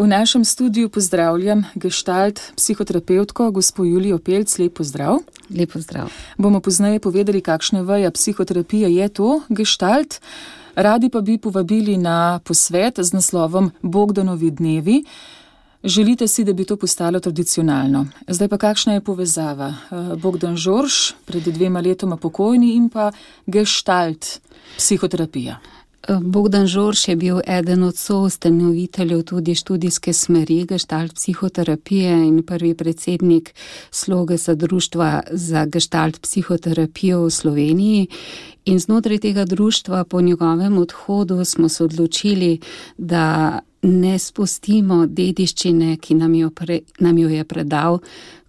V našem studiu pozdravljam gestalt psihoterapevtko, gospo Julijo Pelc. Lep pozdrav. Lep pozdrav. Bomo pozneje povedali, kakšna veja psihoterapije je to gestalt. Radi pa bi povabili na posvet z naslovom Bogdanovi dnevi. Želite si, da bi to postalo tradicionalno. Zdaj pa kakšna je povezava? Bogdan Žorž, pred 2 letoma pokojni, in pa gestalt psihoterapija. Bogdan Žorž je bil eden od soustanoviteljev tudi študijske smeri gestalt psihoterapije in prvi predsednik Slogesa društva za gestalt psihoterapijo v Sloveniji. In znotraj tega društva po njegovem odhodu smo se odločili, da ne spustimo dediščine, ki nam jo je predal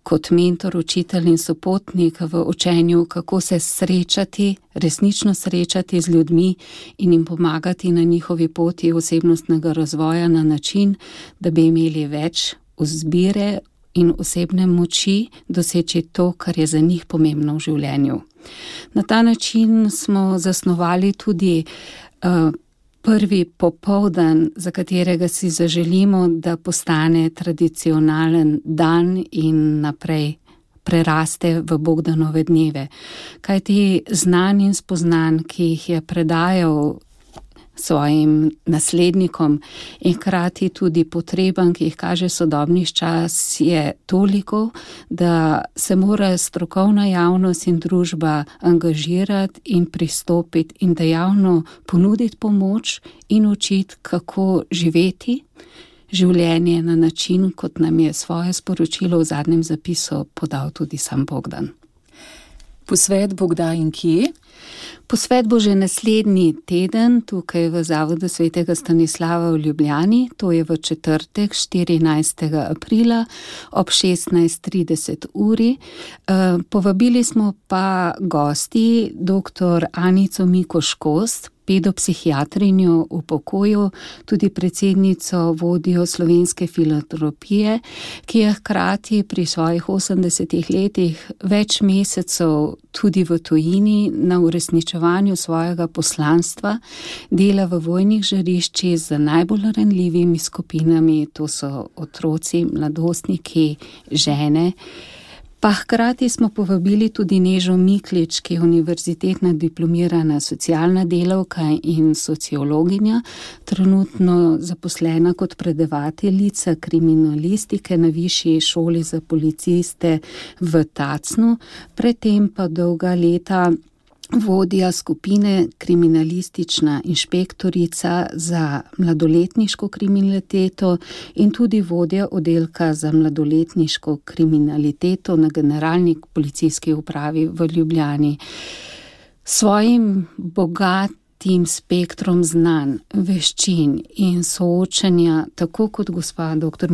kot mentor, učitelj in sopotnik v učenju, kako se srečati, resnično srečati z ljudmi in jim pomagati na njihovi poti osebnostnega razvoja na način, da bi imeli več izbire in osebne moči doseči to, kar je za njih pomembno v življenju. Na ta način smo zasnovali tudi prvi popoldan, za katerega si zaželimo, da postane tradicionalen dan in naprej preraste v Bogdanove dneve. Kajti znanj in spoznanj, ki jih je predajal svojim naslednikom in hkrati tudi potrebam, ki jih kaže sodobni čas, je toliko, da se mora strokovna javnost in družba angažirati in pristopiti in dejavno ponuditi pomoč in učiti, kako živeti življenje na način, kot nam je svoje sporočilo v zadnjem zapisu podal tudi sam Bogdan. Posvet bo kdaj in kje? Posvet bo že naslednji teden tukaj v Zavodu svetega Stanislava v Ljubljani, to je v četrtek 14. aprila ob 16:30 uri. Povabili smo pa gosti dr. Anico Mikoš-Kos, pedopsihiatrinjo v pokoju, tudi predsednico vodjo Slovenske filantropije, ki je hkrati pri svojih 80 letih več mesecev tudi v tujini na uresničevanju svojega poslanstva, dela v vojnih žariščih z najbolj ranljivimi skupinami, to so otroci, mladostniki, žene. Pa hkrati smo povabili tudi Nežo Miklič, ki je univerzitetna diplomirana socialna delavka in sociologinja, trenutno zaposlena kot predavateljica kriminalistike na Višji šoli za policiste v Tacnu, predtem pa dolga leta vodja skupine kriminalistična inšpektorica za mladoletniško kriminaliteto in tudi vodja oddelka za mladoletniško kriminaliteto na Generalni policijski upravi v Ljubljani. Svojim bogatim spektrom znanj, veščin in soočanja, tako kot gospa dr.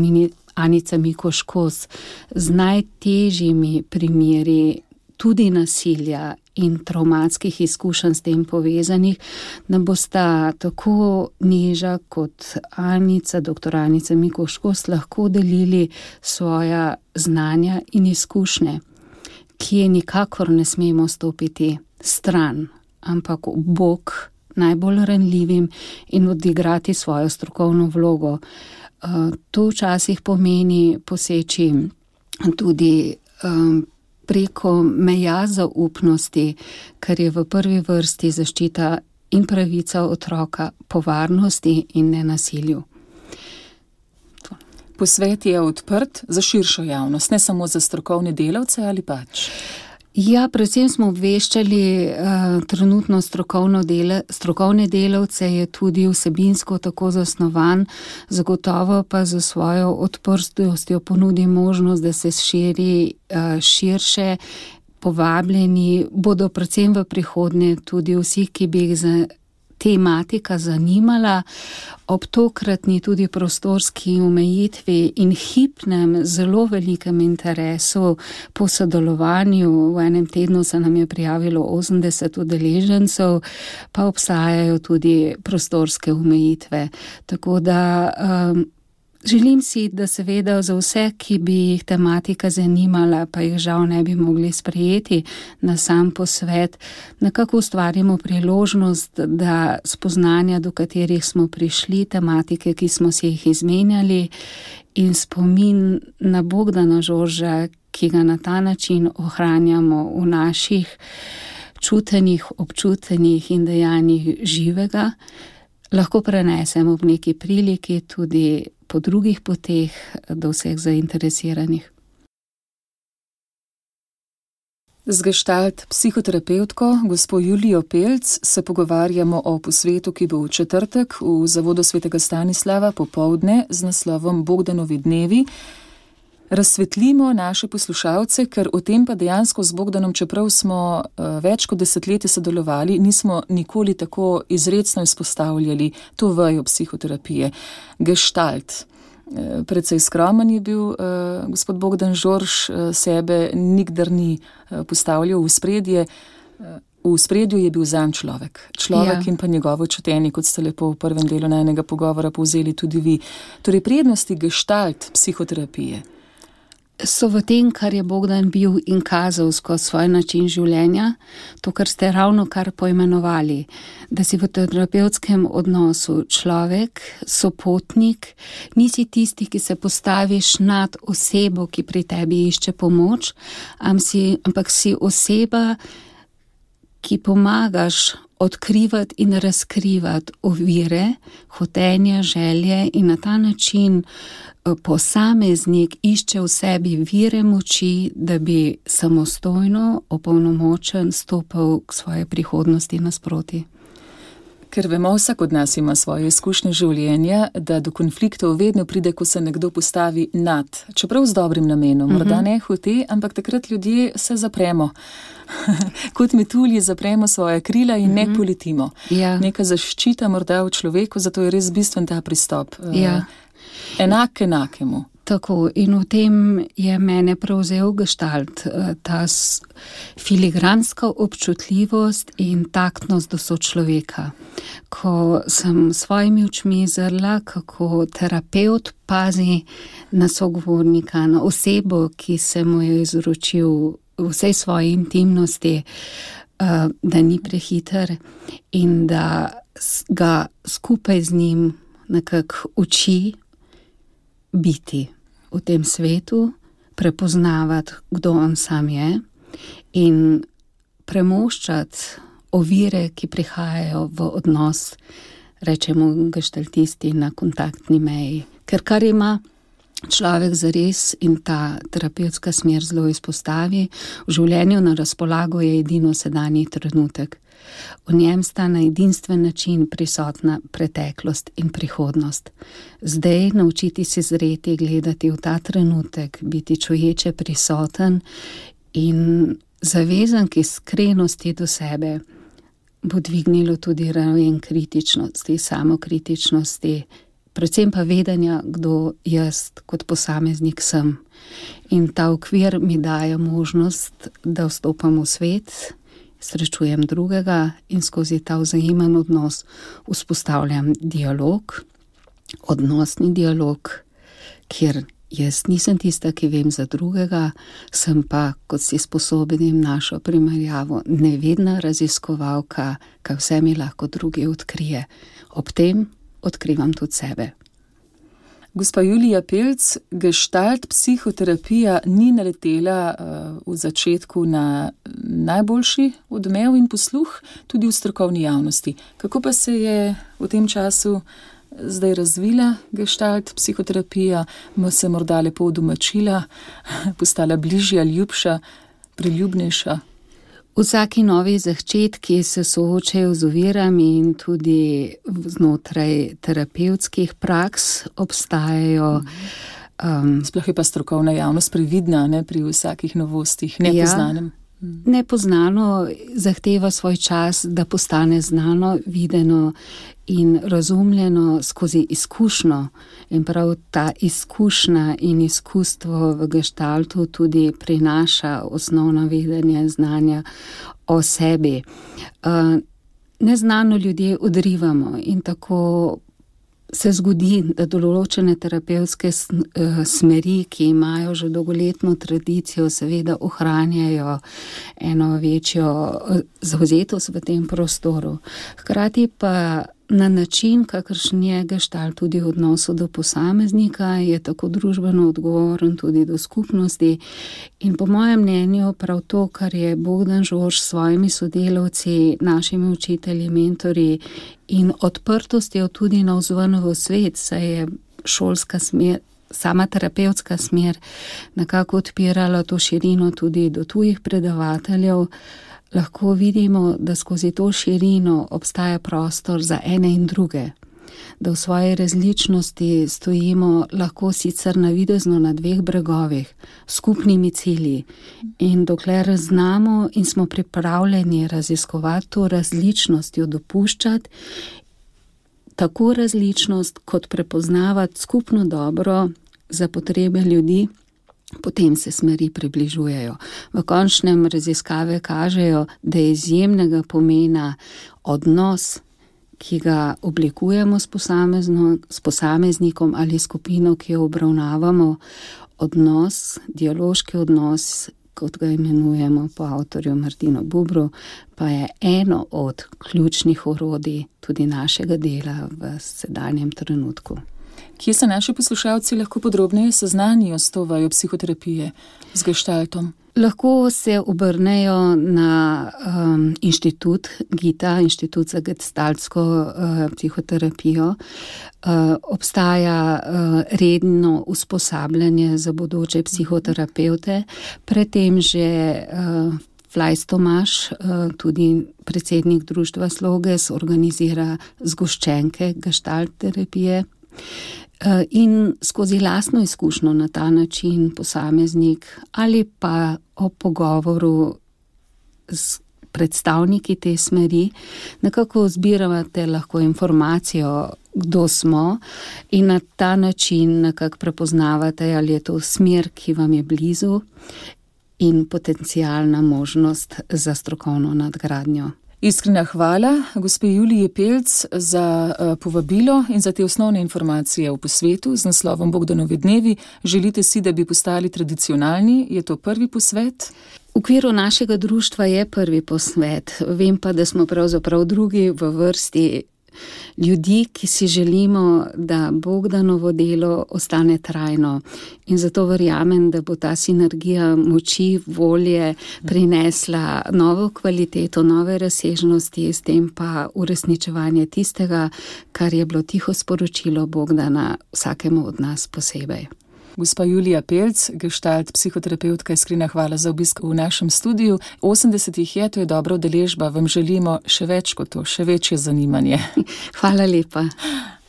Anica Mikoš-Kos, z najtežjimi primeri tudi nasilja in travmatskih izkušenj s tem povezanih, nam bosta tako Neža kot Anica, dr. Anica Mikoš-Kos, lahko delili svoja znanja in izkušnje, ki je nikakor ne smemo stopiti stran, ampak v bok najbolj ranljivim in odigrati svojo strokovno vlogo. To včasih pomeni poseči tudi preko meja zaupnosti, kar je v prvi vrsti zaščita in pravica otroka po varnosti in nenasilju. Posvet je odprt za širšo javnost, ne samo za strokovne delavce ali pač? Ja, predvsem smo obveščali trenutno strokovne delavce, je tudi vsebinsko tako zasnovan, zagotovo pa za svojo odprtostjo ponudi možnost, da se širi širše. Povabljeni bodo predvsem v prihodnje tudi vsi, ki bi jih tematika zanimala, ob tokratni tudi prostorski omejitvi in hipnem, zelo velikem interesu po sodelovanju. V enem tednu se nam je prijavilo 80 udeležencev, pa obstajajo tudi prostorske omejitve. Tako da Želim si, da seveda za vse, ki bi jih tematika zanimala, pa jih žal ne bi mogli sprejeti na sam posvet, nekako ustvarimo priložnost, da spoznanja, do katerih smo prišli, tematike, ki smo si jih izmenjali, in spomin na Bogdana Žorža, ki ga na ta način ohranjamo v naših čutenjih, občutenjih in dejanjih živega, lahko prenesemo v neki priliki tudi po drugih poteh do vseh zainteresiranih. Z gestalt psihoterapevtko gospo Julijo Pelc se pogovarjamo o posvetu, ki bo v četrtek v Zavodu svetega Stanislava popoldne z naslovom Bogdanovi dnevi. Razsvetlimo naše poslušalce, ker o tem pa dejansko z Bogdanom, čeprav smo več kot desetletje sodelovali, nismo nikoli tako izrecno izpostavljali to vejo psihoterapije. Gestalt. Precej skromen je bil gospod Bogdan Žorž, sebe nikdar ni postavljal v spredje. V spredju je bil zanj človek. Človek in pa njegovo čutenje, kot ste lepo v prvem delu najnega pogovora povzeli tudi vi. Torej prednosti gestalt psihoterapije so v tem, kar je Bogdan bil in kazal skozi svoj način življenja, to, kar ste ravno kar poimenovali, da si v terapevtskem odnosu človek, sopotnik, nisi tisti, ki se postaviš nad osebo, ki pri tebi išče pomoč, ampak si oseba, ki pomagaš odkrivati in razkrivati ovire, hotenja, želje in na ta način posameznik išče v sebi vire moči, da bi samostojno, opolnomočen stopal k svoje prihodnosti nasproti. Ker vemo, vsak od nas ima svoje izkušnje življenja, da do konfliktov vedno pride, ko se nekdo postavi nad, čeprav z dobrim namenom, morda ne hote, ampak takrat ljudje se zapremo. Kot metulji zapremo svoje krila in ne poletimo. Ja. Neka zaščita morda v človeku, zato je res bistven ta pristop. Ja. Enak enakemu. Tako, in v tem je mene prevzel gestalt, ta filigranska občutljivost in taktnost do sočloveka. Ko sem svojimi očmi zrla, kako terapevt pazi na sogovornika, na osebo, ki se mu je izročil vsej svoji intimnosti, da ni prehiter in da ga skupaj z njim nekako uči biti v tem svetu, prepoznavati, kdo on sam je in premoščati ovire, ki prihajajo v odnos, rečemo gestaltisti, na kontaktni meji. Ker kar ima človek zares in ta terapevtska smer zelo izpostavi, v življenju na razpolago je edino sedanji trenutek. V njem sta na edinstven način prisotna preteklost in prihodnost. Zdaj naučiti se zreti, gledati v ta trenutek, biti čuječe prisoten in zavezan k iskrenosti do sebe, bo dvignilo tudi raven kritičnosti, samokritičnosti, predvsem pa vedenja, kdo jaz kot posameznik sem. In ta okvir mi daje možnost, da vstopam v svet, srečujem drugega in skozi ta vzajemen odnos vzpostavljam dialog, odnosni dialog, kjer jaz nisem tista, ki vem za drugega, sem pa, kot si sposobenim našo primerjavo, nevedna raziskovalka, kaj vse mi lahko drugi odkrije. Ob tem odkrivam tudi sebe. Gospa Julija Pelc, gestalt psihoterapija ni naletela v začetku na najboljši odmev in posluh tudi v strokovni javnosti. Kako pa se je v tem času zdaj razvila gestalt psihoterapija, se morda lepo udomačila, postala bližja, ljubša, priljubnejša? Vsaki novi začetki se soočajo z ovirami in tudi znotraj terapevtskih praks obstajajo. Sploh je pa strokovna javnost previdna, ne, pri vsakih novostih, nepoznanem. Nepoznano zahteva svoj čas, da postane znano, videno in razumljeno skozi izkušnjo. In prav ta izkušnja in izkustvo v gestaltu tudi prinaša osnovno vedenje, znanja o sebi. Neznano ljudje odrivamo in tako se zgodi, da določene terapevtske smeri, ki imajo že dolgoletno tradicijo, seveda ohranjajo eno večjo zavzetost v tem prostoru. Hkrati pa na način, kakršen je gestalt tudi v odnosu do posameznika, je tako družbeno odgovoren tudi do skupnosti. In po mojem mnenju prav to, kar je Bogdan Žorž s svojimi sodelavci, našimi učitelji, mentorji in odprtostjo tudi navzven v svet, saj je šolska smer, sama terapevtska smer nekako odpirala to širino tudi do tujih predavateljev, lahko vidimo, da skozi to širino obstaja prostor za ene in druge, da v svoji različnosti stojimo lahko sicer navidezno na dveh bregovih, skupnimi cilji. In dokler znamo in smo pripravljeni raziskovati to različnost, jo dopuščati, tako različnost kot prepoznavati skupno dobro za potrebe ljudi, potem se smeri približujejo. V končnem raziskave kažejo, da je izjemnega pomena odnos, ki ga oblikujemo s posameznikom ali skupino, ki jo obravnavamo, odnos, dialoški odnos, kot ga imenujemo po avtorju Martinu Bubru, pa je eno od ključnih orodij tudi našega dela v sedanjem trenutku. Kje se naši poslušalci lahko podrobneje seznanijo s to vajo psihoterapije, z gestaltom? Lahko se obrnejo na inštitut GITA, Inštitut za gestaltsko psihoterapijo. Obstaja redno usposabljanje za bodoče psihoterapevte, predtem že Flajs Tomaž, tudi predsednik društva Sloges, organizira zgoščenke gestalt terapije. In skozi lastno izkušnjo na ta način posameznik ali pa o pogovoru s predstavniki te smeri nekako zbirate lahko informacijo, kdo smo, in na ta način nekako prepoznavate, ali je to smer, ki vam je blizu, in potencialna možnost za strokovno nadgradnjo. Iskrena hvala gospe Juliji Pelc za povabilo in za te osnovne informacije o posvetu z naslovom Bogdanovi dnevi. Želite si, da bi postali tradicionalni? Je to prvi posvet? V okviru našega društva je prvi posvet. Vem pa, da smo pravzaprav drugi v vrsti ljudi, ki si želimo, da Bogdanovo delo ostane trajno. In zato verjamem, da bo ta sinergija moči, volje prinesla novo kvaliteto, nove razsežnosti, s tem pa uresničevanje tistega, kar je bilo tiho sporočilo Bogdana vsakemu od nas posebej. Gospa Julija Pelc, gestalt psihoterapeutka, iskrena hvala za obisk v našem studiu. 80 je, to je dobra udeležba, vam želimo še več kot to, še večje zanimanje. Hvala lepa.